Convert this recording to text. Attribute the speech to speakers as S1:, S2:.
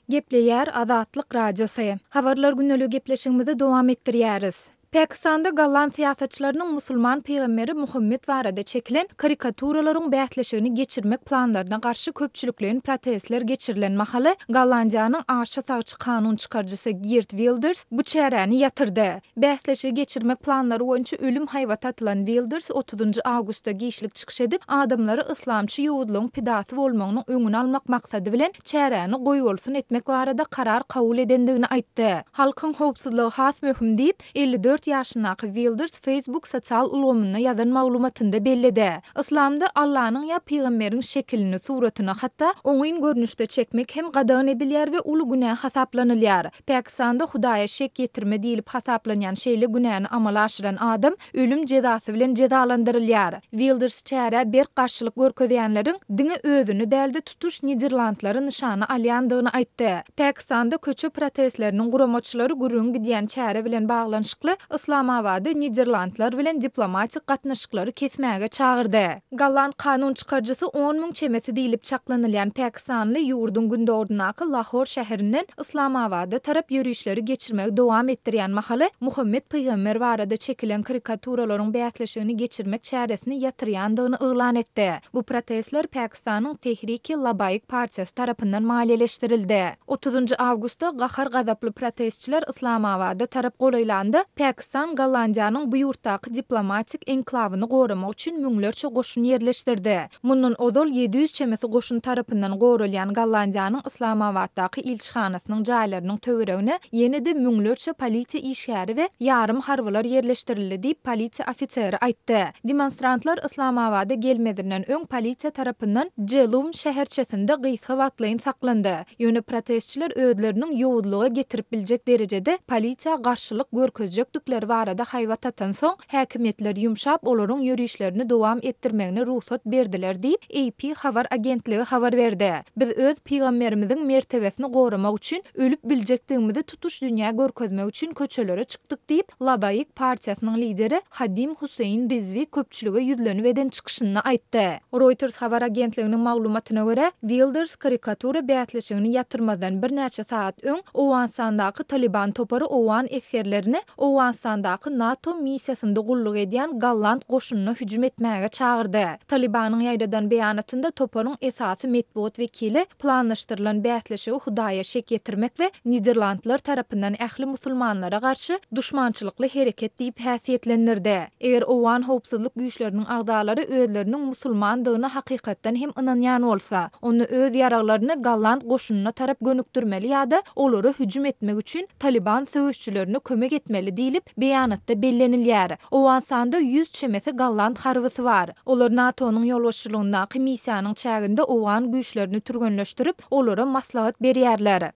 S1: Gepleýär Azatlyk Radiosy. Habarlar gündeligi gepleşigimizi dowam etdirýäris. Pakistanda golland syýasatçylarynyň musulman pygamberi Muhammet barada çekilen karikaturalaryň bäsleşigini geçirmek planlaryna garşy köpçülikleýin protestler geçirilen mahaly, Gollandiýanyň aşa sagçy kanun çykaryjysy Geert Wilders bu çäräni ýatyrdy. Bäsleşigi geçirmek planlary boýunça ölüm haýbaty atylan Wilders otuzynjy awgustda giçlik çykyş edip, adamlary yslamçy ýowuzlygyň pidasy bolmagynyň öňüni almak maksady bilen çäräni goýbolsun etmek barada karar kabul edendigini aýtdy. Halkyň howpsuzlygy has möhüm diýip, 54 ýaşyndaky Wilders Facebook sosial ulgamynda ýazan maglumatynda belledi. Yslamda Allanyň ýa pygamberiň şekilini, suratyny hatda oňyn görnüşde çekmek hem gadagan edilýär we uly günä hasaplanylýar. Pakistanda Hudaýa şek ýetirme diýlip hasaplanýan şeýle günäni amala aşyran adam ölüm jezasy bilen jezalandyrylýar. Wilders çärä berk garşylyk görkezýänleriň diňe özüni däl-de tutuş niderlandlary nyşana alýandygyny aýtdy. Pakistanda köçe protestleriniň guramaçylary gürrüňi gidýän çäre bilen baglanyşykly Yslamabady Niderlandlar bilen diplomatik gatnaşyklary kesmäge çagyrdy. Golland kanun çykaryjysy on müň çemesi diýlip çaklanylýan pakistanly ýurduň gündogaryndaky Lahor şäherinden Yslamabada tarap ýörişleri geçirmegi dowam etdirýän mahaly Muhammet pygamber barada çekilen karikaturalaryň bäsleşigini geçirmek çäresini ýatyrýandygyny yglan etdi. Bu protestler Pakistanyň Tehriki Labaik partiýasy tarapyndan maliýeleşdirildi. Otuzynjy awgustda gahar-gazaply protestçiler Yslamabada tarap golaýlanda, Pakistan Gollandiýanyň bu ýurtdaky diplomatik enklawyny goramak üçin müňlerçe goşun ýerleşdirdi. Mundan ozal 700 çemesi goşun tarapyndan goralýan Gollandiýanyň Yslamabatdaky ilçihanasynyň jaýlarynyň töweregine ýene-de müňlerçe polisiýa işgäri we ýarym harbylar ýerleşdirildi diýip, polisiýa ofiseri aýtdy. Demonstrantlar Yslamabada gelmezinden öň polisiýa tarapyndan Jelum şäherçesinde gysga wagtlaýyn saklandy. Ýöne protestçiler özleriniň ýowuzlyga getirip biljek derejede polisiýa garşylyk görkezjekdikleri barada haýbat atansoň, Häkimiýetler ýumşap, olaryň ýörişlerini dowam etdirmegine rugsat berdiler diýip, AP habar agentligi habar berdi. Biz öz pygamberimiziň mertebesini goramak üçin ölüp biljekdigimizi tutuş dünýä görkezmek üçin köçelere çykdyk diýip, Labaik partiýasynyň lideri Hadim Husseýin Rizwi köpçülige ýüzlenip eden çykyşynda aýtdy. Reuters habar agentliginiň maglumatyna görä, Wilders karikatura bäsleşigini ýatyrmazdan birnäçe sagat öň Owganystandaky Talyban topary owgan esgerlerini Owganystandaky NATO missiýasynda gulluk edýän golland goşunyna hüjüm etmäge çagyrdy. Talybanyň ýaýradan beýanatynda toparyň esasy metbugat wekili planlaşdyrylan bäsleşigi Hudaýa şek ýetirmek we Niderlandlar tarapyndan ähli musulmanlara garşy duşmançylykly hereket diýip häsiýetlendirdi. Eger owgan howpsuzlyk güýçleriniň agzalary özleriniň musulmandygyna hakykatdan hem ynanýan bolsa, onda öz ýaraglaryny golland goşunyna tarap gönükdirmeli ýa-da olara hüjüm etmek üçin Talyban söweşçilerine kömek etmeli diýlip, beýanatda bellenilýär. Owganystanda 100 çemesi golland harbysy bar. Olar NATO-nyň ýolbaşçylygyndaky missiýanyň çäginde owgan güýçlerini türgenleşdirip, olara maslahat berýärler.